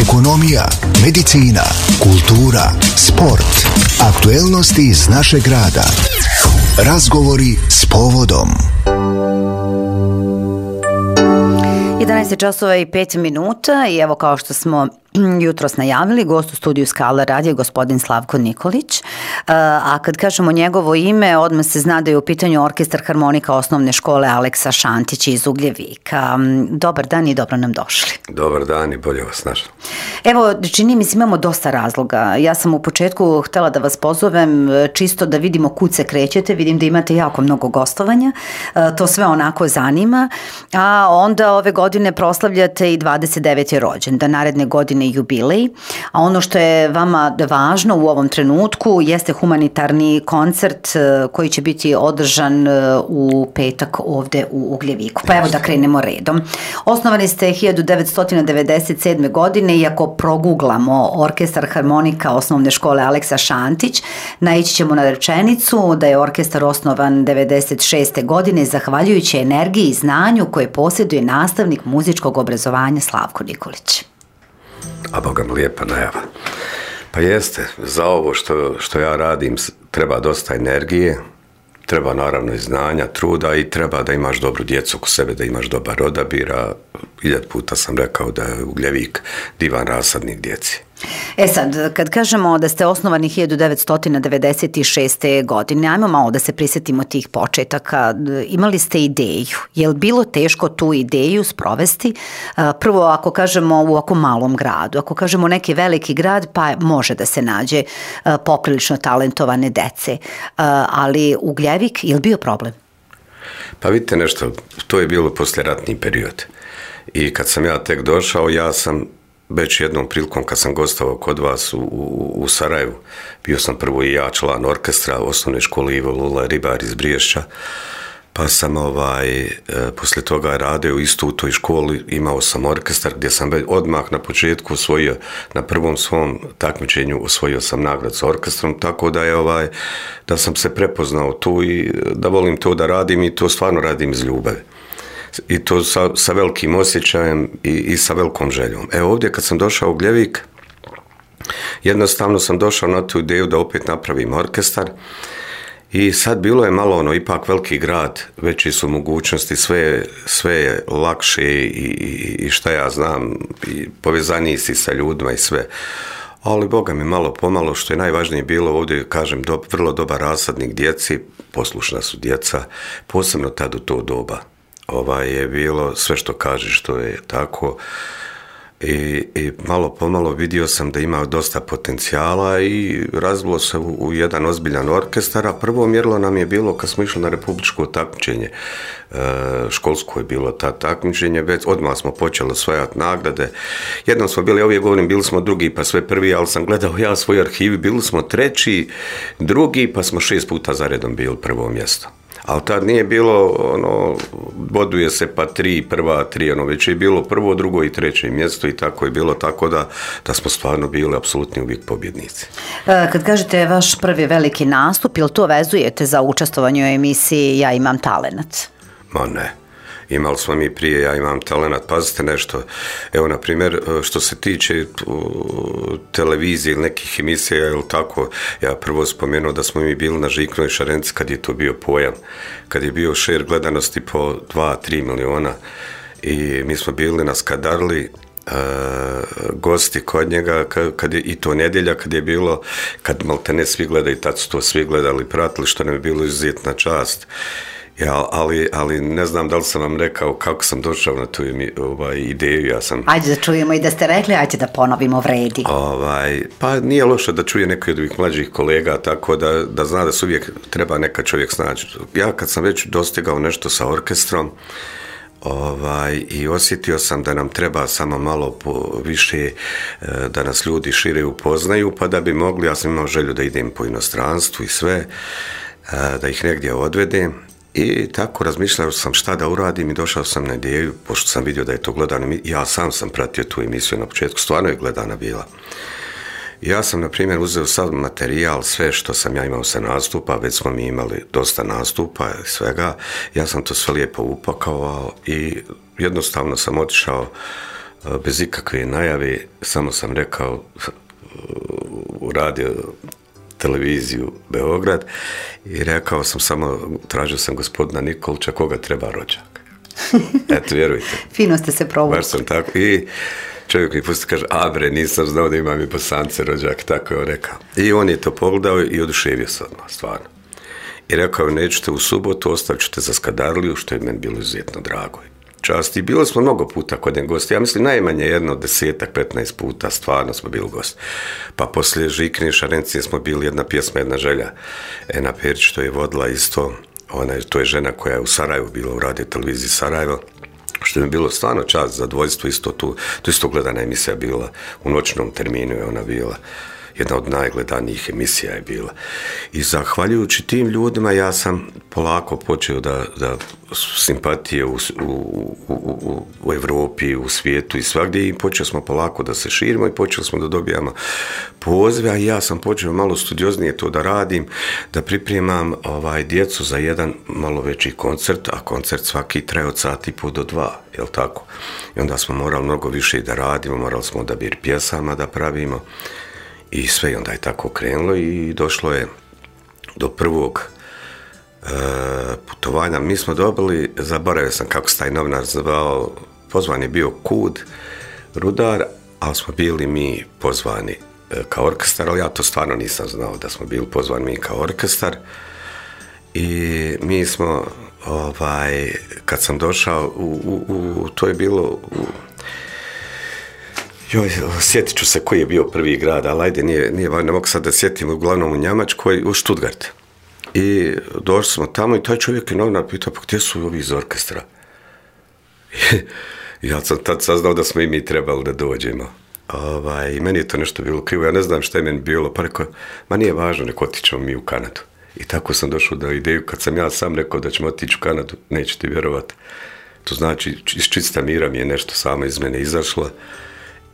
ekonomija, medicina, kultura, sport, aktuelnosti iz našeg grada. Razgovori s povodom. 11 časova i 5 minuta i evo kao što smo jutros najavili, gost u studiju Skala radija je gospodin Slavko Nikolić. A kad kažemo njegovo ime, odmah se zna da je u pitanju Orkestar harmonika osnovne škole Aleksa Šantić iz Ugljevika. Dobar dan i dobro nam došli. Dobar dan i bolje vas našli. Evo, čini mi se imamo dosta razloga. Ja sam u početku htjela da vas pozovem čisto da vidimo kud se krećete. Vidim da imate jako mnogo gostovanja. To sve onako zanima. A onda ove godine proslavljate i 29. rođendan, naredne godine jubilej, a ono što je vama važno u ovom trenutku jeste humanitarni koncert koji će biti održan u petak ovde u Ugljeviku. Pa evo da krenemo redom. Osnovani ste 1997. godine, iako proguglamo Orkestar harmonika osnovne škole Aleksa Šantić, naići ćemo na rečenicu da je orkestar osnovan 96. godine zahvaljujući energiji i znanju koje posjeduje nastavnik muzičkog obrazovanja Slavko Nikolić. A Boga mi lijepa najava. Pa jeste, za ovo što ja radim treba dosta energije, treba naravno i znanja, truda i treba da imaš dobru djecu oko sebe, da imaš dobar odabir, a 1000 puta sam rekao da je Ugljevik divan rasadnik djeci. E sad, kad kažemo da ste osnovani 1996. godine, ajmo malo da se prisjetimo tih početaka. Imali ste ideju. Je li bilo teško tu ideju sprovesti? Prvo, ako kažemo u ovako malom gradu, ako kažemo neki veliki grad, pa može da se nađe poprilično talentovane dece. Ali Ugljevik, je li bio problem? Pa vidite nešto, to je bilo poslijeratni period. I kad sam ja tek došao, ja sam već jednom prilikom kad sam gostovao kod vas u Sarajevu, bio sam prvo i ja član orkestra osnovne škole Ivo Lula Ribar iz Briješća, pa sam poslije toga radio isto u toj školi, imao sam orkestar gdje sam odmah na početku osvojio, na prvom svom takmičenju osvojio sam nagradu s orkestrom, tako da je da sam se prepoznao tu i da volim to da radim i to stvarno radim iz ljubavi. I to sa velikim osjećajem i sa velikom željom. Evo ovdje kad sam došao u Ugljevik, jednostavno sam došao na tu ideju da opet napravim orkestar i sad bilo je malo ipak veliki grad, veći su mogućnosti, sve je lakše i šta ja znam, i povezaniji si sa ljudima i sve. Ali Boga mi malo pomalo, što je najvažnije bilo ovdje, kažem, vrlo dobar rasadnik djeci, poslušna su djeca, posebno tad u to doba. Je bilo sve što kažeš, to je tako i malo pomalo vidio sam da ima dosta potencijala i razvilo se u jedan ozbiljan orkestar, a prvo mjerilo nam je bilo kad smo išli na republičko takmičenje, školsko je bilo ta takmičenje, već odmah smo počeli osvajati nagrade, jednom smo bili, uvijek govorim, bili smo drugi pa sve prvi, ali sam gledao ja svoj arhiv, bili smo treći, drugi, pa smo 6 puta zaredom bili prvo mjesto. Ali tad nije bilo, boduje se pa 3, prva 3, već je bilo prvo, drugo i treće mjesto i tako je bilo, tako da smo stvarno bili apsolutni uvijek pobjednici. Kad kažete vaš prvi veliki nastup, ili to vezujete za učestvovanje u emisiji Ja imam talenat? Ma ne. Imali smo mi prije Ja imam talenat. Pazite nešto, evo na primjer što se tiče televizije ili nekih emisija ili tako, ja prvo spomenuo da smo mi bili na Žiknoj šarenci kad je to bio pojam, kad je bio šer gledanosti po 2-3 miliona i mi smo bili na Skadarli, gosti kod njega i to nedjelja kad je bilo, kad maltene svi gledaju, tad su to svi gledali, pratili, što nam je bilo izuzetna čast. Ja, ali ne znam da li sam vam rekao kako sam došao na tu ideju. Ajde da čujemo i da ste rekli, ajde da ponovimo, vredi. Pa nije loše da čuje neki od ovih mlađih kolega, tako da zna da se uvijek treba neka čovjek snaći. Ja kad sam već dostigao nešto sa orkestrom, i osjetio sam da nam treba samo malo više da nas ljudi šire upoznaju, pa da bi mogli, ja sam imao želju da idem po inostranstvu i sve, da ih negdje odvedem. I tako razmišljao sam šta da uradim i došao sam na ideju, pošto sam vidio da je to gledano, ja sam pratio tu emisiju na početku, stvarno je gledana bila. Ja sam, na primjer, uzeo sav materijal, sve što sam ja imao sa nastupa, već smo mi imali dosta nastupa i svega, ja sam to sve lijepo upakao i jednostavno sam otišao bez ikakve najave, samo sam rekao u radio televiziju Beograd i rekao sam samo, tražio sam gospodina Nikolića, koga treba rođak. Eto, vjerujte. Fino ste se provukli. Baš sam tako. I čovjek mi pusti kaže, a bre, nisam znao da imam i Bosance rođak, tako je on rekao. I on je to pogledao i oduševio se odmah, stvarno. I rekao, nećete u subotu, ostavit ćete za Skadarliju, što je meni bilo izuzetno drago. Čast. I bilo smo mnogo puta kod njen gosti. Ja mislim najmanje 10-15 puta stvarno smo bili gosti. Pa poslije Žikine Šarencije smo bili jedna pjesma, jedna želja. Ena Perić, što je vodila isto, to je žena koja je u Sarajevu bila u radio televiziji Sarajevo, što je bilo stvarno čast, zadovoljstvo, isto tu, to isto gledana emisija bila, u noćnom terminu je ona bila. Jedna od najgledanijih emisija je bila. I zahvaljujući tim ljudima ja sam polako počeo da simpatije u Evropi, u svijetu i svagdje i počeli smo polako da se širimo i počeli smo da dobijamo pozive, a ja sam počeo malo studioznije to da radim, da pripremam djecu za jedan malo veći koncert, a koncert svaki traje od 1,5 do 2, jel tako? I onda smo morali mnogo više da radimo, morali smo odabir pjesama da pravimo. I sve, onda je tako krenulo i došlo je do prvog putovanja. Mi smo dobili, zaboravio sam kako se taj novinar zvao, pozvan je bio Kud, Rudar, ali smo bili mi pozvani kao orkestar, ali ja to stvarno nisam znao da smo bili pozvani mi kao orkestar. I mi smo, kad sam došao, to je bilo sjetit ću se koji je bio prvi grad, ali ajde, nije ne mogu sad da sjetim, uglavnom u Njemačkoj, u Stuttgart. I došli smo tamo i taj čovjek je novinar pitao, pa gdje su ovi iz orkestra? Ja sam tad saznao da smo i mi trebali da dođemo. I meni je to nešto bilo krivo, ja ne znam šta je meni bilo, pa rekao, ma nije važno, neko otićemo mi u Kanadu. I tako sam došao do ideju, kad sam ja sam rekao da ćemo otići u Kanadu, nećete vjerovati. To znači, iz čista mira mi je nešto samo iz mene izašlo.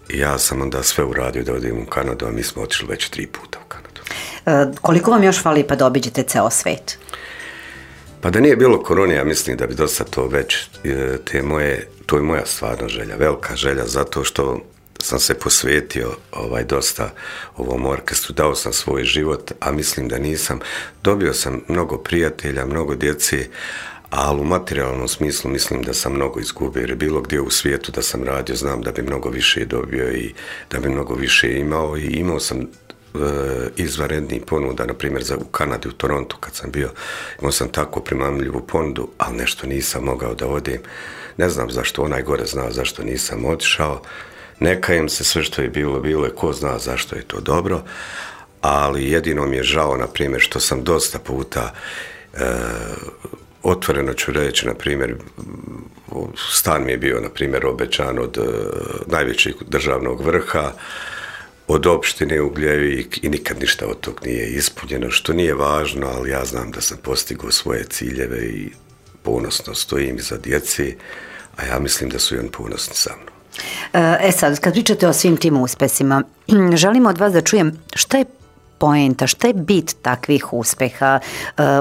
I ja sam onda sve uradio da odem u Kanadu, a mi smo otišli već 3 puta u Kanadu. Koliko vam još fali pa da obiđete ceo svet? Pa da nije bilo korone, ja mislim da bi dosta to već, to je moja stvarno želja, velika želja, zato što sam se posvetio dosta ovom orkestru, dao sam svoj život, a mislim da nisam. Dobio sam mnogo prijatelja, mnogo djece, ali u materijalnom smislu mislim da sam mnogo izgubio, jer je bilo gdje u svijetu da sam radio, znam da bi mnogo više dobio i da bi mnogo više imao i imao sam izvanrednih ponuda, na primjer u Kanadi, u Torontu kad sam bio, imao sam tako primamljivu ponudu, ali nešto nisam mogao da odem. Ne znam zašto, onaj gore zna zašto nisam otišao, ne kajem se, sve što je bilo je, ko zna zašto je to dobro, ali jedino mi je žao, na primjer, što sam dosta puta otvoreno ću reći, na primjer, stan mi je bio, na primjer, obećan od najvećeg državnog vrha, od opštine Ugljevik i nikad ništa od tog nije ispunjeno, što nije važno, ali ja znam da sam postigao svoje ciljeve i ponosno stojim iza djeci, a ja mislim da su i oni ponosni sa mnom. Sad, kad pričate o svim tim uspesima, želimo od vas da čujem šta je poenta, šta je bit takvih uspeha?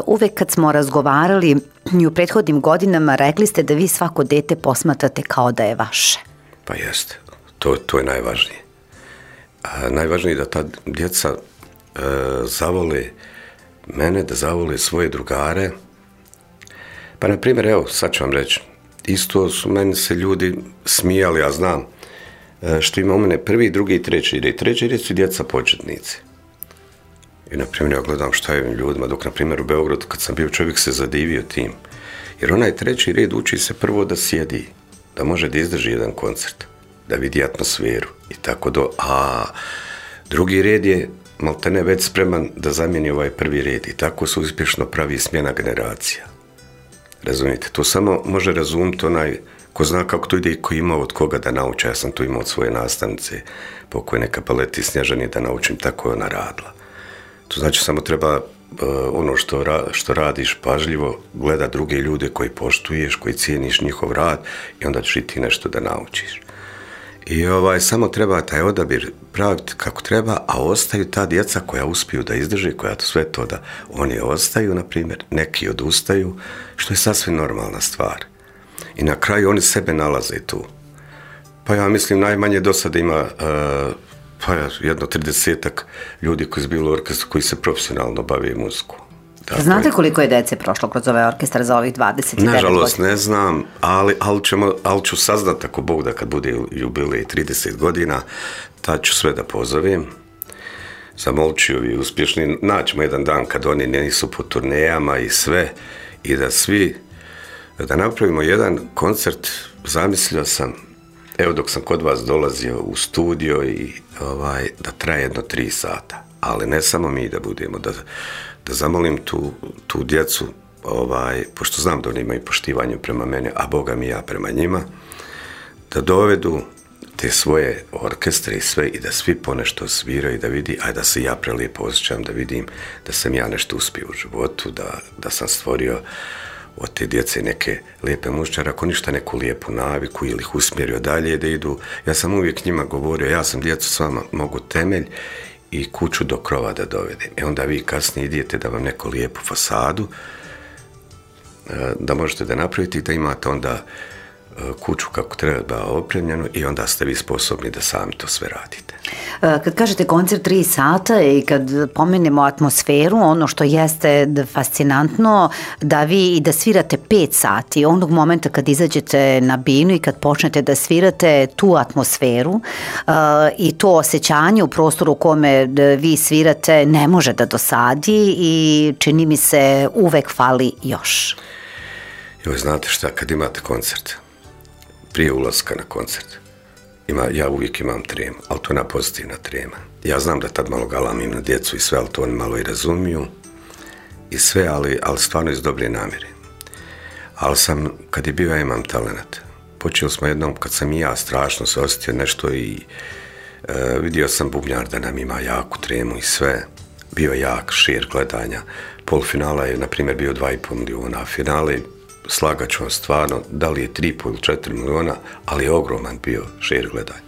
Uvek kad smo razgovarali i u prethodnim godinama rekli ste da vi svako dete posmatrate kao da je vaše. Pa jeste, to je najvažnije. Najvažnije je da ta djeca zavole mene, da zavole svoje drugare. Pa na primjer, evo, sad ću vam reći, isto su meni se ljudi smijali, ja znam, što ima u mene prvi, drugi i treći red. Treći red su djeca početnici. I, na primjer, ja gledam šta je ovim ljudima, dok, na primjer, u Beogradu, kad sam bio, čovjek se zadivio tim. Jer onaj treći red uči se prvo da sjedi, da može da izdrži jedan koncert, da vidi atmosferu i tako a drugi red je maltene već spreman da zamijeni ovaj prvi red i tako se uspješno pravi smjena generacija. Razumijete, to samo može razumjeti onaj ko zna kako to ide i ko ima od koga da nauči. Ja sam to imao od svoje nastavnice, pokojne Kapaleti Snježani, da naučim, tako je ona radila. To znači samo treba ono što radiš pažljivo, gleda druge ljude koji poštuješ, koji cijeniš njihov rad i onda ćeš i ti nešto da naučiš. I samo treba taj odabir praviti kako treba, a ostaju ta djeca koja uspiju da izdrže, koja to sve to da oni ostaju, na primjer, neki odustaju, što je sasvim normalna stvar. I na kraju oni sebe nalaze tu. Pa ja mislim najmanje do sada ima jedno 30-ak ljudi koji su bili u orkestru koji se profesionalno bave muziku. Dakle, znate koliko je dece prošlo kroz ovaj orkestar za ovih 29 godina? Nažalost ne znam, ali ću saznat ako Bog da kad bude jubilej 30 godina, tad ću sve da pozovem. Zamolit ću ovi uspješni, naćemo jedan dan kad oni nisu po turnejama i sve, i da napravimo jedan koncert. Zamislio sam, evo dok sam kod vas dolazio u studio, i da traje jedno 3 sata, ali ne samo mi da budemo, da zamolim tu djecu, pošto znam da oni imaju poštivanje prema mene, a Boga mi ja prema njima, da dovedu te svoje orkestre i sve, i da svi ponešto sviraju, da vidi, a da se ja prelijepo osjećam, da vidim da sam ja nešto uspio u životu, da sam stvorio od te djece neke lijepe mušćare, ako ništa neku lijepu naviku, ili ih usmjerio dalje da idu. Ja sam uvijek njima govorio, ja sam djecu s vama mogu temelj i kuću do krova da dovedem. Onda vi kasnije idete da vam neku lijepu fasadu da možete da napravite i da imate onda kuću kako treba opremljenu, i onda ste vi sposobni da sami to sve radite. Kad kažete koncert 3 sata i kad pomenemo atmosferu, ono što jeste fascinantno, da vi i da svirate 5 sati, onog momenta kad izađete na binu i kad počnete da svirate tu atmosferu i to osjećanje u prostoru u kome vi svirate ne može da dosadi, i čini mi se uvek fali još. Joj, znate šta, kad imate koncert, prije ulaska na koncert, ja uvijek imam tremu, ali to je ona pozitivna trema. Ja znam da tad malo galamim na djecu i sve, ali to oni malo i razumiju i sve, ali stvarno iz dobre namjere. Ali kad je bio Ja imam talenat, počeli smo jednom, kad sam i ja strašno se osjetio nešto, i vidio sam bubnjar da nam ima jaku tremu i sve, bio jak šir gledanja. Polufinala je, na primjer, bio 2,5 milijuna, a finale, slagat ću vam stvarno, da li je 3,5 ili 4 milijuna, ali je ogroman bio šir gledanja.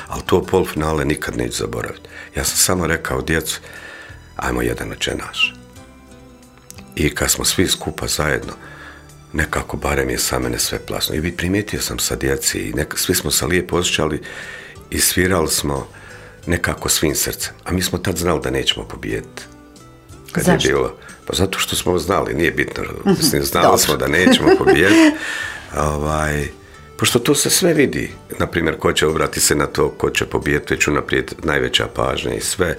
Ali to polufinale nikad neću zaboraviti. Ja sam samo rekao djecu, ajmo jedan očenaš. I kad smo svi skupa zajedno, nekako barem je sa mene sve plasno. I primijetio sam sa djeci, i svi smo se lijepo osjećali i svirali smo nekako svim srcem. A mi smo tad znali da nećemo pobijediti. Zašto? Je bilo, pa zato što smo znali, nije bitno, znali smo da nećemo pobijediti. Pošto to se sve vidi, na primjer, ko će obrati se na to, ko će pobijediti, već unaprijed najveća pažnja i sve.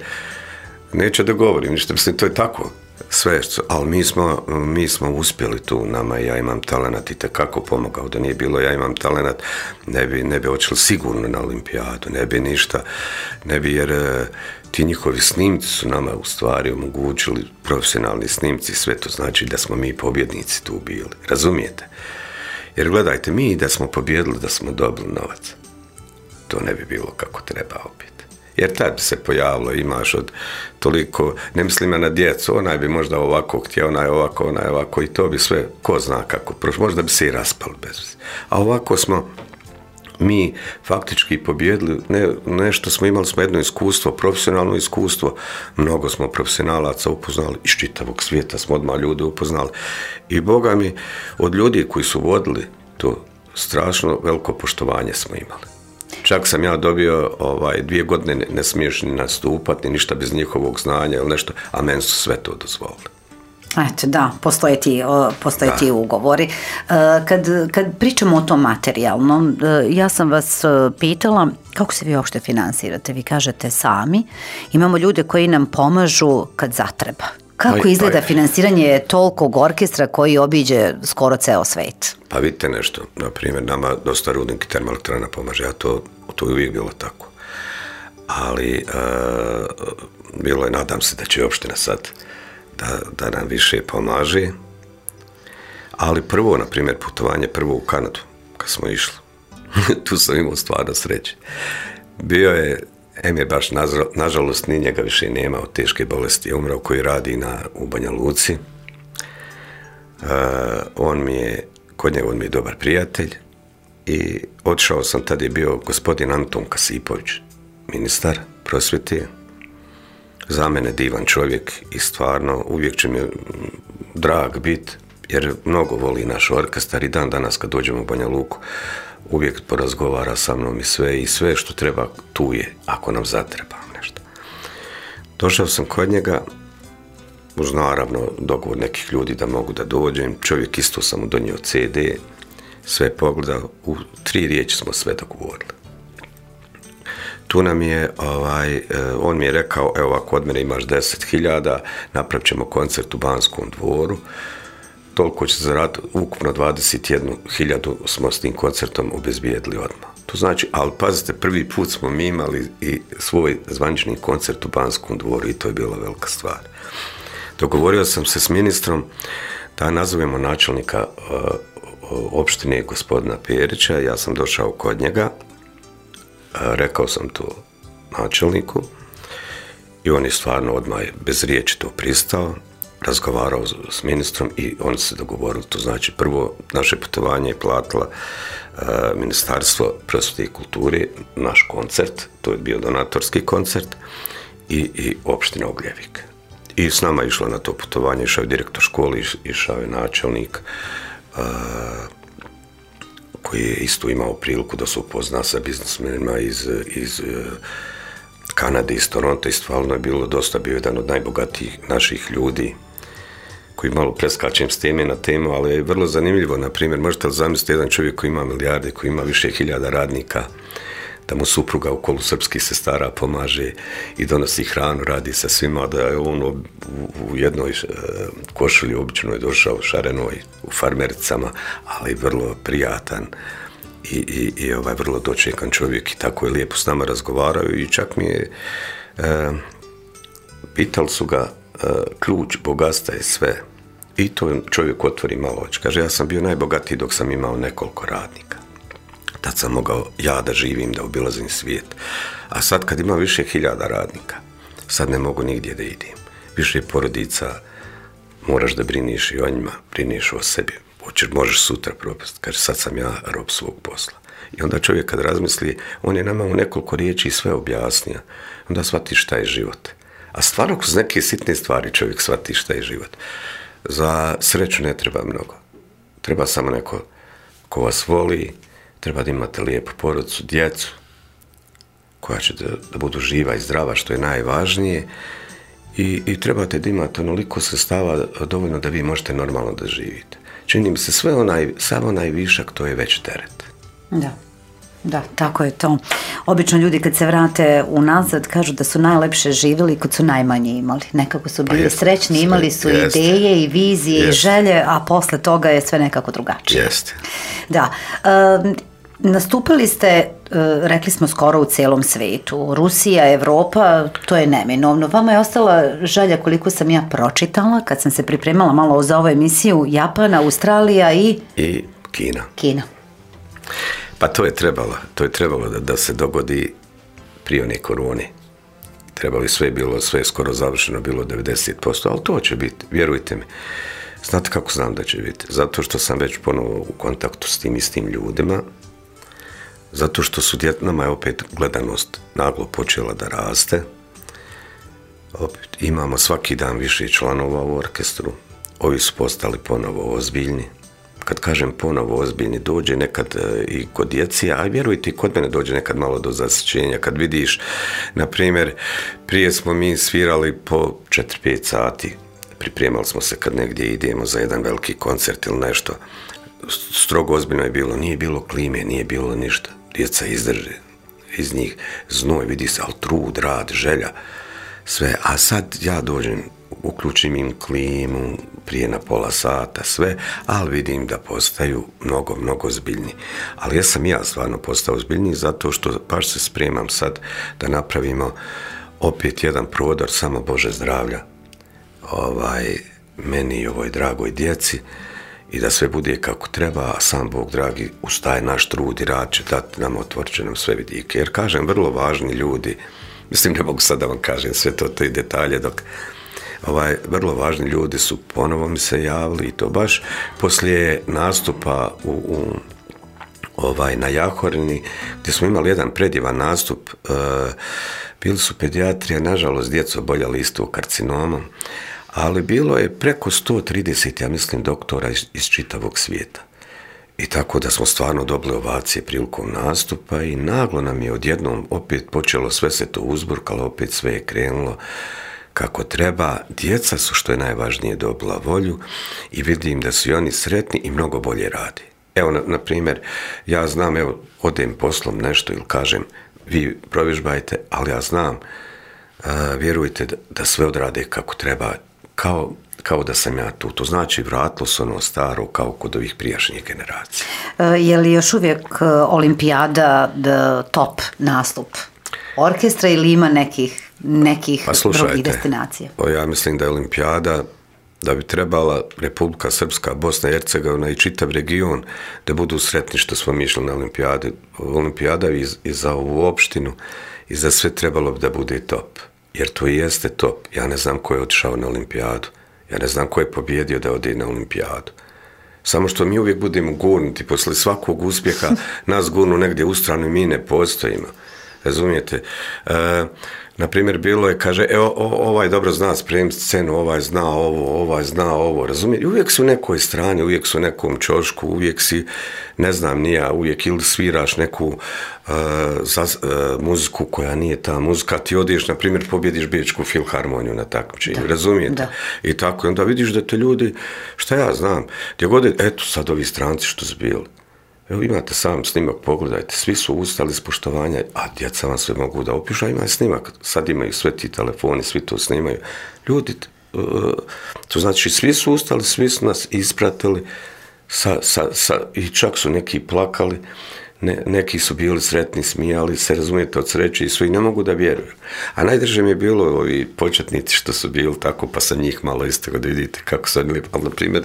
Neće da govorim, ništa, mislim, to je tako. Sve, ali mi smo uspjeli tu, nama Ja imam talenat i tekako pomogao. Da nije bilo Ja imam talenat, ne bi očeli sigurno na olimpijadu, ne bi ništa, jer ti njihovi snimci su nama u stvari omogućili, profesionalni snimci, sve to znači da smo mi pobjednici tu bili, razumijete? Jer gledajte, mi da smo pobjedili, da smo dobili novac, to ne bi bilo kako treba opet. Jer tad bi se pojavilo, imaš od toliko, ne mislim ja na djecu, onaj bi možda ovako htio, onaj ovako, i to bi sve, ko zna kako prošlo, možda bi se i raspali bez veze. A ovako smo mi faktički pobjedili, nešto smo imali, jedno iskustvo, profesionalno iskustvo, mnogo smo profesionalaca upoznali, iz čitavog svijeta smo odmah ljude upoznali. I Boga mi, od ljudi koji su vodili to, strašno veliko poštovanje smo imali. Čak sam ja dobio 2 godine ne smiješ ni nastupati, ni ništa bez njihovog znanja ili nešto, a meni su sve to dozvolili. Eto, da, postoje ti ugovori. Kad pričamo o tom materijalnom, ja sam vas pitala kako se vi uopšte finansirate. Vi kažete sami, imamo ljude koji nam pomažu kad zatreba. Kako izgleda finansiranje tolikog orkestra koji obiđe skoro ceo svet? Pa vidite nešto, na primjer, nama dosta Rudnik i termoelektrana pomaže, a to je uvijek bilo tako. Ali bilo je, nadam se da će opština sad da nam više pomaže. Ali prvo, na primjer, putovanje prvo u Kanadu, kad smo išli, tu sam imao stvarno sreće. Bio je, je baš, nažalost, ni njega više nema od teške bolesti, je umrao, koji radi u Banja Luci. Kod njega on mi je dobar prijatelj i otišao sam, tad je bio gospodin Anton Kasipović, ministar prosvjete, za mene divan čovjek i stvarno uvijek će mi drag biti, jer mnogo voli naš orkestar i dan danas kad dođemo u Banja Luku, uvijek porazgovara sa mnom i sve što treba tu je, ako nam zatreba nešto. Došao sam kod njega, uz naravno dogovor nekih ljudi da mogu da dođem, čovjek isto sam mu donio CD, sve pogledao, u 3 riječi smo sve dogovorili. Tu nam je, on mi je rekao, evo ako od mene imaš 10.000, napravit ćemo koncert u Banskom dvoru, toliko će zaraditi, ukupno 21.000 smo s tim koncertom obezbijedili odmah. To znači, ali pazite, prvi put smo mi imali i svoj zvanični koncert u Banskom dvoru i to je bila velika stvar. Dogovorio sam se s ministrom da nazovemo načelnika opštine gospodina Perića, ja sam došao kod njega, rekao sam to načelniku i on je stvarno odmah bez riječi to pristao, razgovarao s ministrom i oni se dogovorili. To znači prvo naše putovanje je platila Ministarstvo prosvjete i kulture, naš koncert, to je bio donatorski koncert i opština Ugljevik. I s nama je išla na to putovanje, išao je direktor škole, išao je načelnik, koji je isto imao priliku da se upozna sa biznismenima iz Kanade, iz Toronto, i stvarno je bilo dosta, bio jedan od najbogatijih naših ljudi, koji malo preskačem s teme na temu, ali je vrlo zanimljivo. Na primjer, možete li zamisliti jedan čovjek koji ima milijarde, koji ima više hiljada radnika, da mu supruga u kolu srpskih sestara pomaže i donosi hranu, radi sa svima, da je on u jednoj košulji običnoj došao, šarenoj, u farmericama, ali vrlo prijatan i vrlo dočekan čovjek i tako je lijepo s nama razgovarao i čak mi je pitali su ga ključ bogatstva je sve i to čovjek otvori malo oči. Kaže, ja sam bio najbogatiji dok sam imao nekoliko radnika. Tad sam mogao ja da živim, da obilazim svijet. A sad kad ima više hiljada radnika, sad ne mogu nigdje da idem. Više porodica, moraš da briniš i o njima, briniš o sebi. Možeš sutra propast. Kaže, sad sam ja rob svog posla. I onda čovjek kad razmisli, on je nama u nekoliko riječi sve objasnio. Onda shvati šta je život. A stvarno kroz neke sitne stvari čovjek shvati šta je život. Za sreću ne treba mnogo. Treba samo neko ko vas voli, treba da imate lijepu porodicu, djecu, koja će da budu živa i zdrava, što je najvažnije, i trebate da imate onoliko sredstava dovoljno da vi možete normalno da živite. Čini mi se sav onaj višak, to je već teret. Da, tako je to. Obično ljudi kad se vrate unazad kažu da su najlepše živjeli kad su najmanje imali. Nekako su bili srećni, imali su ideje i vizije i želje, a posle toga je sve nekako drugačije. Jeste. Da. Nastupili ste, rekli smo, skoro u cijelom svijetu. Rusija, Evropa, to je neminovno. Vama je ostala želja, koliko sam ja pročitala, kad sam se pripremala malo za ovu emisiju, Japan, Australija i Kina. Pa to je trebalo da se dogodi prije one korone. Sve je skoro završeno, bilo 90%, ali to će biti, vjerujte mi. Znate kako znam da će biti? Zato što sam već ponovo u kontaktu s tim istim ljudima, zato što nama je opet gledanost naglo počela da raste. Opet imamo svaki dan više članova u orkestru, ovi su postali ponovo ozbiljni. Kad kažem ponovo ozbiljni, dođe nekad i kod djeci, a vjerujte i kod mene dođe nekad malo do zasićenja. Kad vidiš, na primjer, prije smo mi svirali po 4-5 sati, pripremali smo se kad negdje idemo za jedan veliki koncert ili nešto. Strogo ozbiljno je bilo, nije bilo klime, nije bilo ništa. Djeca izdrže, iz njih znoj, vidi se, ali trud, rad, želja, sve. A sad ja dođem, uključim im klimu prije na pola sata, sve, ali vidim da postaju mnogo, mnogo ozbiljni. Ali ja sam stvarno postao ozbiljniji zato što baš se spremam sad da napravimo opet jedan prodor, samo Bože zdravlja, meni i ovoj dragoj djeci, i da sve bude kako treba, a sam Bog dragi uz taj naš trud i rad će dati nam, otvorit će nam sve vidike. Jer kažem, vrlo važni ljudi, mislim ne mogu sad da vam kažem sve te detalje, dok vrlo važni ljudi su ponovo mi se javili, i to baš poslije nastupa na Jahorini, gdje smo imali jedan predivan nastup. Bili su pedijatrija, nažalost djeca oboljeli isto karcinomom, ali bilo je preko 130, ja mislim, doktora iz čitavog svijeta. I tako da smo stvarno dobili ovacije prilikom nastupa i naglo nam je odjednom opet počelo, sve se to uzburkalo, opet sve je krenulo kako treba. Djeca su, što je najvažnije, dobila volju i vidim da su i oni sretni i mnogo bolje radi. Evo, na primjer, ja znam, evo, odem poslom nešto ili kažem, vi provježbajte, ali ja znam, vjerujte da sve odrade kako treba, kao da sam ja tu. To znači vratilo se ono staro kao kod ovih prijašnjih generacija. Je li još uvijek olimpijada top nastup orkestra ili ima nekih drugih destinacija? Ja mislim da je olimpijada, da bi trebala Republika Srpska, Bosna i Hercegovina i čitav region da budu sretni što smo mi išli na olimpijadu. Olimpijada i za ovu opštinu i za sve trebalo bi da bude top. Jer to i jeste top. Ja ne znam ko je otišao na olimpijadu. Ja ne znam ko je pobjedio da ode na olimpijadu. Samo što mi uvijek budemo gurnuti, posle svakog uspjeha nas gurnu negdje u stranu i mi ne postojimo. Razumijete? Naprimjer, bilo je, kaže, ovaj dobro zna spremiti scenu, ovaj zna ovo, razumijete? Uvijek su u nekoj strani, uvijek su u nekom čošku, uvijek si, ne znam, nija, uvijek ili sviraš neku muziku koja nije ta muzika, ti odeš, na primjer, pobjediš Bečku filharmoniju na takmičenju, razumijete? Da. I tako, i onda vidiš da te ljudi, šta ja znam, gdje god je, eto sad ovi stranci što su bili. Evo, imate sam snimak, pogledajte, svi su ustali s poštovanja, a djeca vam sve mogu da opišu, a ima snimak, sad imaju sve ti telefoni, svi to snimaju. Ljudi, to znači svi su ustali, svi su nas ispratili i čak su neki plakali, neki su bili sretni, smijali se, razumijete, od sreće i svi ne mogu da vjeruju. A najdrže mi je bilo ovi početnici što su bili tako, pa sam njih malo isto da vidite kako su oni lijepo. Ali, na primjer,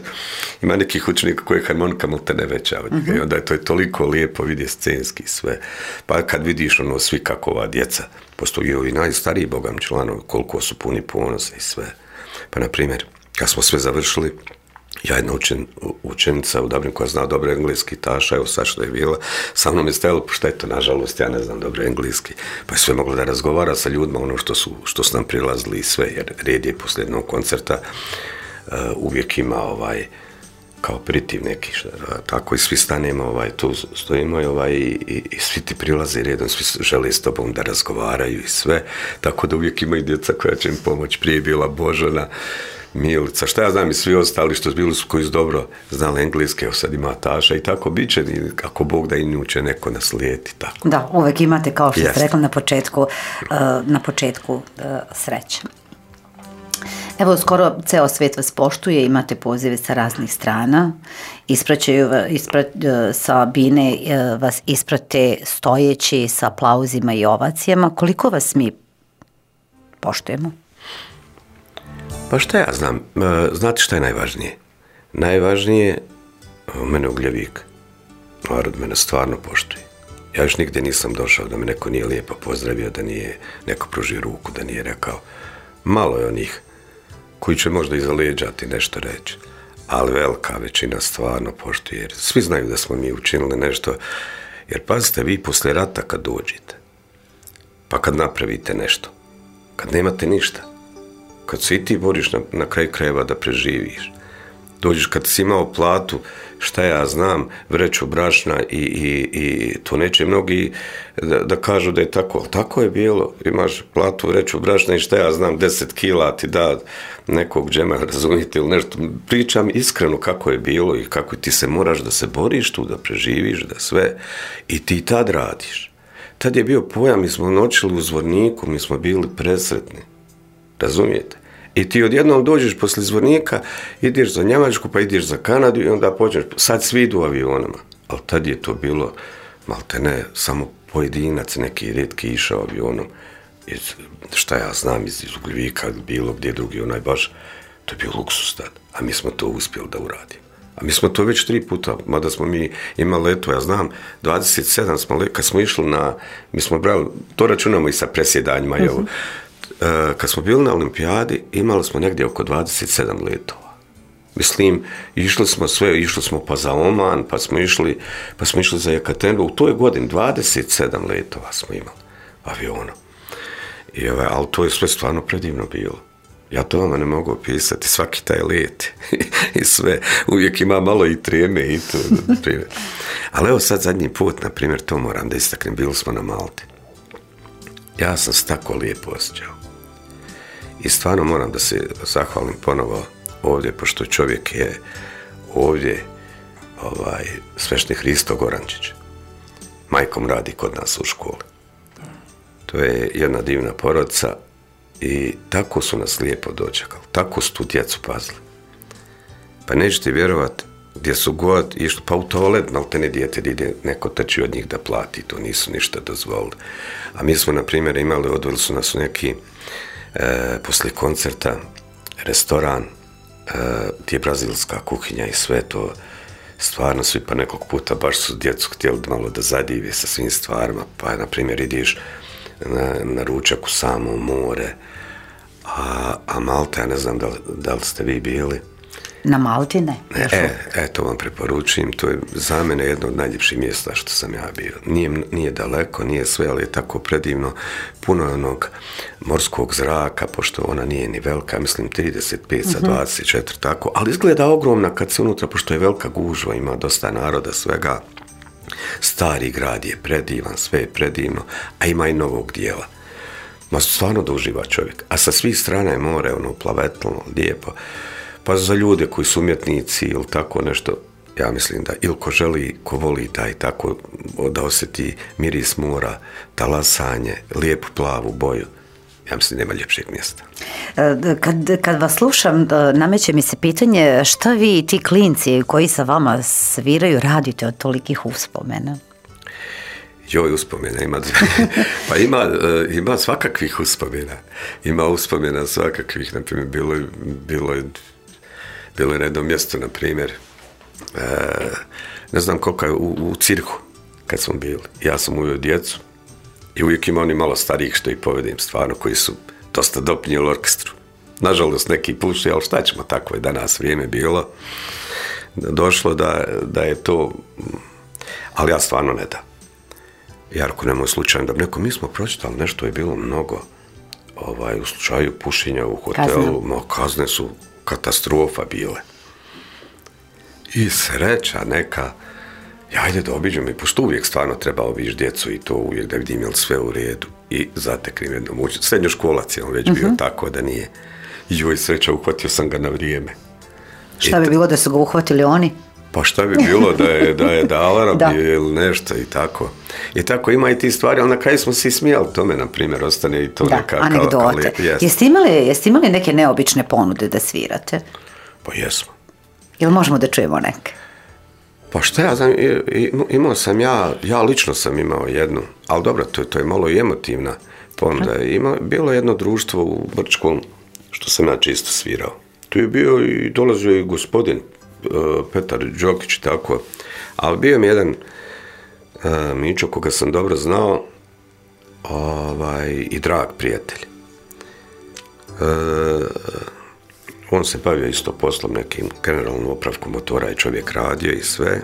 ima nekih učenika koji harmonika te ne veća od njega. I onda je to toliko lijepo vidje scenski sve. Pa kad vidiš ono svi kako ova djeca, postoji i najstariji bogam članovi, koliko su puni ponosa i sve. Pa, na primjer, kad smo sve završili, ja jedna učenica u Dublinu koja zna dobro engleski, Taša, evo sad što je bila, sa mnom je stajalo, pošto eto, nažalost, ja ne znam dobro engleski, pa je sve mogla da razgovara sa ljudima, ono što su nam prilazili i sve, jer red je poslije jednog koncerta, uvijek ima kao pritiv neki, tako i svi stanemo, tu stojimo i svi ti prilaze redom, svi žele s tobom da razgovaraju i sve, tako da uvijek ima i djeca koja će im pomoći. Prije je bila Božana, Milica, šta ja znam, i svi ostali što su bili koji su dobro znali engleske, evo sad ima Taša i tako bit će, ako Bog da i nju će neko naslijeti. Tako. Da, uvijek imate, kao što ste rekli na početku sreće. Evo, skoro ceo svijet vas poštuje, imate pozive sa raznih strana, sa bine vas isprate stojeći sa aplauzima i ovacijama. Koliko vas mi poštujemo? Pa šta ja znam, znate šta je najvažnije? Najvažnije, mene Ugljevik, narod mene stvarno poštuje. Ja još nigdje nisam došao da me neko nije lijepo pozdravio, da nije neko pružio ruku, da nije rekao. Malo je onih koji će možda iza leđa ti nešto reći, ali velika većina stvarno poštuje, jer svi znaju da smo mi učinili nešto, jer pazite, vi poslije rata kad dođete, pa kad napravite nešto, kad nemate ništa, kad se i ti boriš na kraju krajeva da preživiš, dođeš kad si imao platu, šta ja znam, vreću brašna i to neće mnogi da kažu da je tako, ali tako je bilo, imaš platu, vreću brašna i šta ja znam, 10 kila ti da nekog džema, razumijete ili nešto, pričam iskreno kako je bilo i kako ti se moraš da se boriš tu, da preživiš, da sve, i ti tad radiš. Tad je bio pojam, mi smo noćili u Zvorniku, mi smo bili presretni, razumijete? I ti odjednom dođeš poslije Zvornika, ideš za Njemačku, pa ideš za Kanadu i onda počneš, sad svi idu avionama. Ali tad je to bilo, malte ne, samo pojedinac, neki rijetki išao avionom. Šta ja znam, iz Ugljevika, bilo gdje drugi, baš, to je bio luksus tad. A mi smo to uspjeli da uradimo. A mi smo to već 3 puta, mada smo mi imali leto, ja znam, 27 smo kad smo išli mi smo brali, to računamo i sa presjedanjima, kad smo bili na olimpijadi, imali smo negdje oko 27 letova. Mislim, išli smo pa za Oman, pa smo išli za Jekaterinburg. U toj godini 27 letova smo imali avionom. Ali to je sve stvarno predivno bilo. Ja to vama ne mogu opisati, svaki taj let i sve, uvijek ima malo i treme i to, primjer. Ali evo sad zadnji put, na primjer, to moram da istaknem, bili smo na Malti. Ja sam se tako lijepo osjećao. I stvarno moram da se zahvalim ponovo ovdje, pošto čovjek je ovdje sveštenik Hristo Gorančić. Majkom radi kod nas u školi. To je jedna divna porodica i tako su nas lijepo dočekali. Tako su tu djecu pazili. Pa nećete vjerovati, gdje su god išli, pa u toalet, maltene dijete ide, neko trči od njih da plati, to nisu ništa dozvolili. A mi smo, na primjer, imali, odveli su nas u neki poslije koncerta, restoran, gdje je brazilska kuhinja i sve to, stvarno svi pa nekog puta baš su djecu htjeli malo da zadive sa svim stvarima, pa na primjer ideš na ručak u samo more, a Malta, ja ne znam da li ste vi bili. Na Malti ne. To vam preporučujem, to je za mene jedno od najljepših mjesta što sam ja bio. Nije daleko, nije sve, ali je tako predivno, puno je onog morskog zraka, pošto ona nije ni velika, mislim 35 sa 24, tako, ali izgleda ogromna kad se unutra, pošto je velika gužva, ima dosta naroda, svega. Stari grad je predivan, sve je predivno, a ima i novog dijela. Ma stvarno da uživa čovjek. A sa svih strana je more, ono plavetlno, lijepo. Pa za ljude koji su umjetnici ili tako nešto, ja mislim da ili ko želi, ko voli taj tako da osjeti miris mora, talasanje, lijepu plavu boju, ja mislim nema ljepšeg mjesta. Kad vas slušam, nameće mi se pitanje šta vi i ti klinci koji sa vama sviraju radite od tolikih uspomena? Joj, uspomena ima. Pa ima svakakvih uspomena. Ima uspomena svakakvih, na primjer, bilo je na jednom mjestu, na primjer, ne znam koliko je u cirku, kad smo bili. Ja sam uveo djecu i uvijek ima oni malo starijih što ih povedem, stvarno, koji su dosta doprinijeli orkestru. Nažalost, neki puši, ali šta ćemo, tako je danas vrijeme bilo. Došlo da je to, ali ja stvarno ne da. Jarko, nemoj slučajno da mi smo pročitali, nešto je bilo mnogo u slučaju pušenja u hotelu, kazne su katastrofa bile. I sreća neka, ajde da obiđem, i pošto uvijek stvarno treba obići djecu i to uvijek da vidim je li sve u redu. I zateknem jednom učitelj, srednjoškolac je on već bio, tako da nije. I joj, sreća, uhvatio sam ga na vrijeme. Šta bi bilo da su ga uhvatili oni? Pa šta bi bilo da je alarm ili nešto i tako. I tako ima i ti stvari, ali na kraju smo se i smijali tome, na primjer, ostane i to neka anegdote. Jeste imali neke neobične ponude da svirate? Pa jesmo. Jel možemo da čujemo neke? Pa šta ja znam, imao sam ja lično sam imao jednu, ali dobro, to je malo i emotivna ponuda. Bilo je jedno društvo u Brčkom, što sam ja čisto svirao. Tu je bio i dolazio i gospodin Petar Đokić, tako, ali bio mi jedan Mićo koga sam dobro znao i drag prijatelj. On se bavio isto poslom, nekim generalnom opravkom motora i čovjek radio i sve,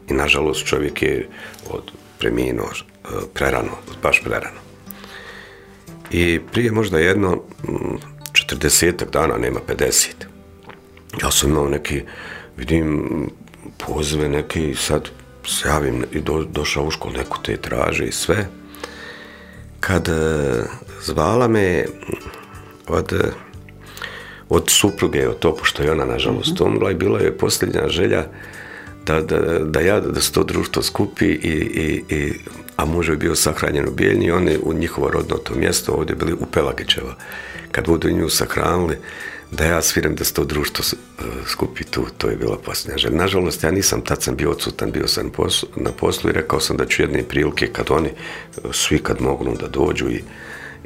i nažalost čovjek je preminuo prerano, baš prerano. I prije možda jedno 40 dana, nema 50. Ja sam imao neki, vidim, pozive neki, sad se javim i došao u školu, neko te traže i sve. Kad zvala me od supruge, od to, pošto je ona nažalost umrla, i bila je posljednja želja da se to društvo skupi, a muž je bio sahranjen u Bijeljni, oni u njihovo rodno to mjesto ovdje bili u Pelagićevo. Kad budu nju sahranili, da ja sviram da se to društvo skupi tu, to je bila posljednja želja. Nažalost, ja nisam, tad sam bio odsutan, bio sam na poslu i rekao sam da ću jedne prilike kad oni svi kad mogu da dođu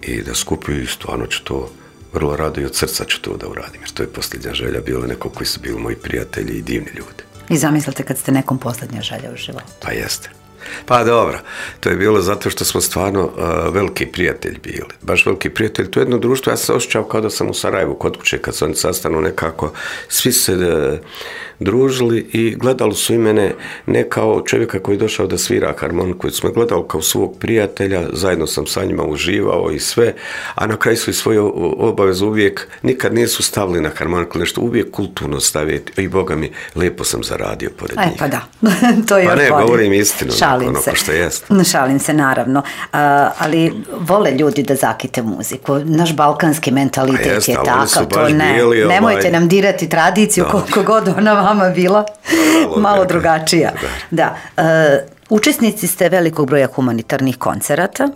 i da skupi, i stvarno ću to vrlo rado i od srca ću to da uradim, jer to je posljednja želja, bilo neko koji su bili moji prijatelji i divni ljudi. I zamislite kad ste nekom posljednja želja u životu. Pa jeste. Pa dobro, to je bilo zato što smo stvarno veliki prijatelji bili. Baš veliki prijatelji. To je jedno društvo, ja sam se osjećao kao da sam u Sarajevu kod kuće, kad se oni sastanu nekako, svi se družili i gledali su i mene ne kao čovjeka koji je došao da svira harmoniku, koji smo gledali kao svog prijatelja, zajedno sam sa njima uživao i sve, a na kraju su i svoju obavezu uvijek, nikad nisu stavili na harmoniku nešto, uvijek kulturno staviti i Boga mi, lijepo sam zaradio pored njih. Pa da, to je pa ne, bolje. Govorim istinu, Šalim se. Što jest. Šalim se, naravno. Ali vole ljudi da zakite muziku. Naš balkanski mentalitet jest, je takav. To ne. Bili, nemojte nam dirati tradiciju, koliko god ona vama bila malo drugačija. Da. Učesnici ste velikog broja humanitarnih koncerata.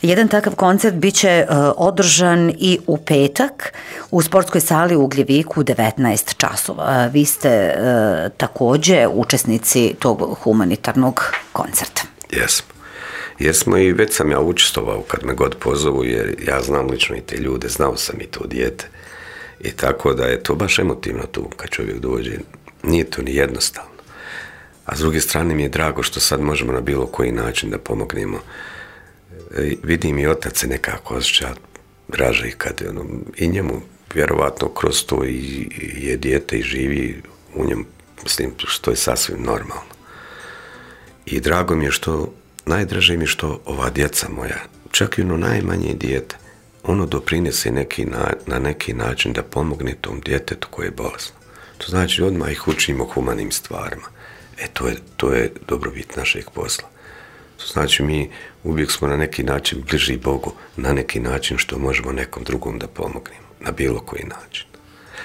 Jedan takav koncert bit će održan i u petak u sportskoj sali u Ugljeviku u 19 časova. Vi ste također učesnici tog humanitarnog koncerta. Jesmo i već sam ja učestvovao kad me god pozovu, jer ja znam lično i te ljude, znao sam i to dijete. I tako da je to baš emotivno tu kad čovjek dođe. Nije to ni jednostavno. A s druge strane mi je drago što sad možemo na bilo koji način da pomognemo. Vidim i otac se nekako osjeća draže i kad i njemu vjerovatno kroz to i je dijete i živi u njemu, mislim, što je sasvim normalno. I drago mi je što, najdraže mi je što ova djeca moja, čak i ono najmanje dijete, ono doprinese na neki način da pomogne tom djetetu koje je bolesno. To znači odmah ih učimo humanim stvarima. To je dobrobit našeg posla. To znači mi uvijek smo na neki način bliži Bogu, na neki način što možemo nekom drugom da pomognemo, na bilo koji način.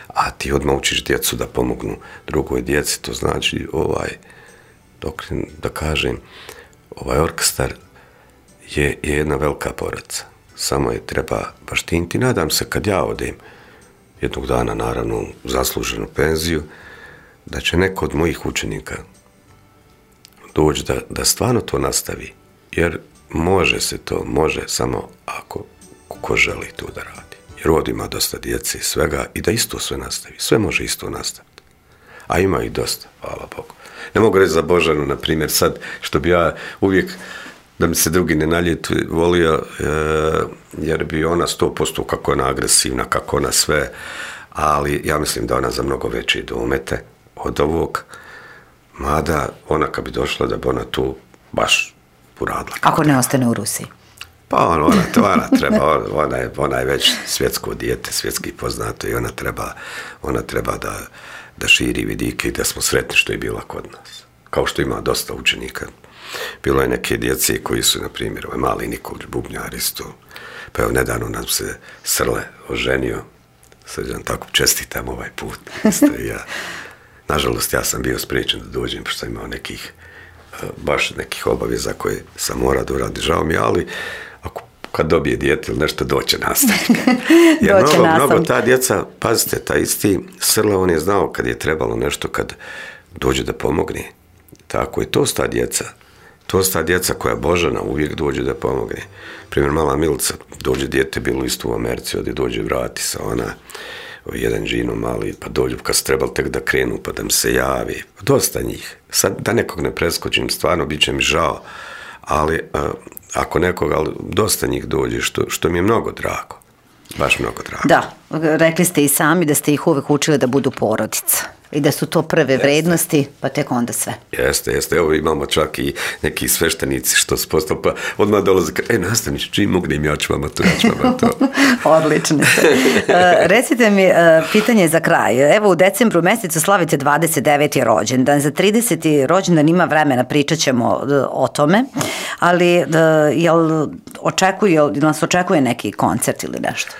A ti odmah učiš djecu da pomognu drugoj djeci, to znači da kažem, ovaj orkestar je jedna velika porodca. Samo je treba baštiniti. Nadam se kad ja odem jednog dana, naravno, u zasluženu penziju, da će neko od mojih učenika doći da stvarno to nastavi. Jer može samo ako ko želi to da radi. Jer ovdje ima dosta djece i svega i da isto sve nastavi. Sve može isto nastaviti. A ima i dosta, hvala Bogu. Ne mogu reći za Božanu, na primjer, sad, što bi ja uvijek, da mi se drugi ne naljetu, volio, jer bi ona 100% kako ona agresivna, kako ona sve, ali ja mislim da ona za mnogo veće domete od ovog, mada ona kad bi došla da bi ona tu baš uradila. Ako ne ostane u Rusiji? Pa ona treba, ona je već svjetsko dijete, svjetski poznato i ona treba da širi vidike i da smo sretni što je bila kod nas. Kao što ima dosta učenika. Bilo je neke djece koji su, na primjer, mali Nikolić bubnjar isto. Pa evo, nedavno nam se Srle oženio. Sad vam tako čestitam ovaj put. Nažalost, ja sam bio spriječen da dođem, pošto sam imao baš nekih obaveza koje sam morao da uradi. Žao mi, ali kad dobije dijete ili nešto, doće nastavnik. Jer mnogo ta djeca, pazite, ta isti Srle, on je znao kad je trebalo nešto, kad dođe da pomogne. Tako je, to sta djeca koja Božana uvijek dođe da pomogne. Primjer, mala Milica, dođe dijete, bilo isto u Americi, ovdje dođe vrati sa ona, jedan džino mali, pa dođu kad su trebali tek da krenu, pa da mi se javi. Dosta njih. Sad, da nekog ne preskočim, stvarno, bit će mi žao, ali ako nekoga, ali dosta njih dođe, što mi je mnogo drago. Baš mnogo drago. Da, rekli ste i sami da ste ih uvek učili da budu porodica i da su to prve vrednosti, pa tek onda sve. Jeste. Evo imamo čak i neki sveštenici što su postali, pa odmah dolaze, nastavniče, čim mognem, ja ću vama to. Odlično. Recite mi, pitanje za kraj. Evo u decembru mjesecu slavite 29. rođendan. Za 30. rođendan ima vremena, pričat ćemo o tome, ali jel nas očekuje neki koncert ili nešto?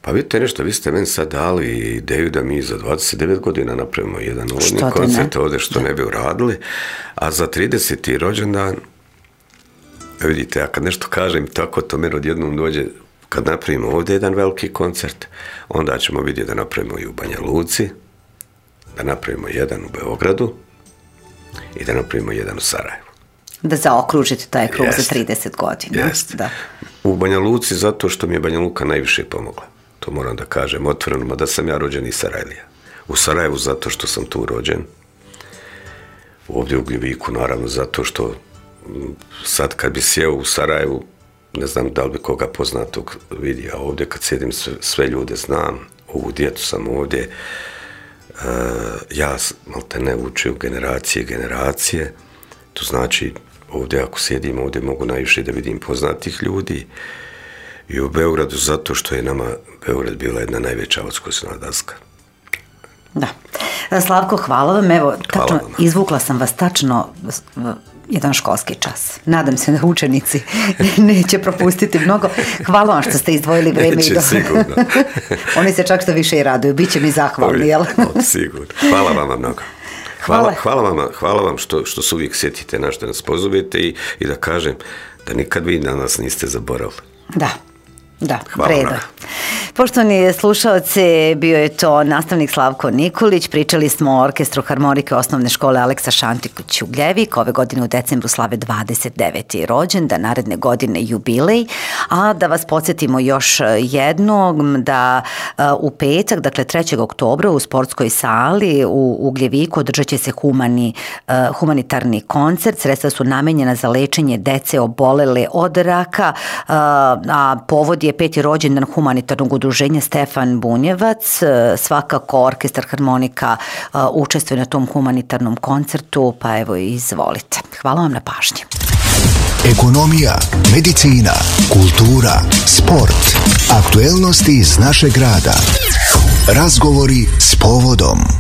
Pa vidite nešto, vi ste meni sad dali ideju da mi za 29 godina napravimo jedan uvodni koncert ovdje što ne bi uradili, a za 30. rođendan, vidite, ja kad nešto kažem tako, to meni odjednom dođe, kad napravimo ovdje jedan veliki koncert, onda ćemo vidjeti da napravimo i u Banja Luci, da napravimo jedan u Beogradu i da napravimo jedan u Sarajevu. Da zaokružite taj krug za 30 godina. Da. U Banja Luci zato što mi je Banja Luka najviše pomogla. To moram da kažem otvoreno, mada sam ja rođen iz Sarajlija. U Sarajevu zato što sam tu rođen. Ovdje u Ugljeviku naravno zato što sad kad bi sjeo u Sarajevu, ne znam da li bi koga poznatog vidio, a ovdje kad sjedim sve ljude znam, ovu djecu sam ovdje, ja malte ne učio generacije, to znači ovdje ako sjedim ovdje mogu najviše da vidim poznatih ljudi i u Beogradu zato što je nama Beograd bila jedna najveća odskočna daska. Da. Slavko, hvala vam. Evo, tačno, izvukla sam vas tačno jedan školski čas. Nadam se da učenici neće propustiti mnogo. Hvala vam što ste izdvojili vreme. Neće, sigurno. Oni se čak što više i raduju. Biće mi zahvalni, jel? Sigurno. Hvala vam mnogo. Hvala vam što se uvijek sjetite na što nas pozovete i da kažem da nikad vi na nas niste zaboravili. Da, predo. Poštovani slušalci, bio je to nastavnik Slavko Nikolić. Pričali smo o orkestru harmonike osnovne škole Aleksa Šantić Ugljevik. Ove godine u decembru slave 29. rođendan, naredne godine jubilej. A da vas podsjetimo još jednom da u petak, dakle 3. oktobra u sportskoj sali u Ugljeviku održat će se humanitarni koncert. Sredstva su namenjena za lečenje dece obolele od raka, a povod je 5. rođendan humanitarnog udruženja Stefan Bunjevac. Svakako orkestar harmonika učestvuje na tom humanitarnom koncertu, pa evo izvolite. Hvala vam na pažnji. Ekonomija, medicina, kultura, sport, aktuelnosti iz našeg grada. Razgovori s povodom.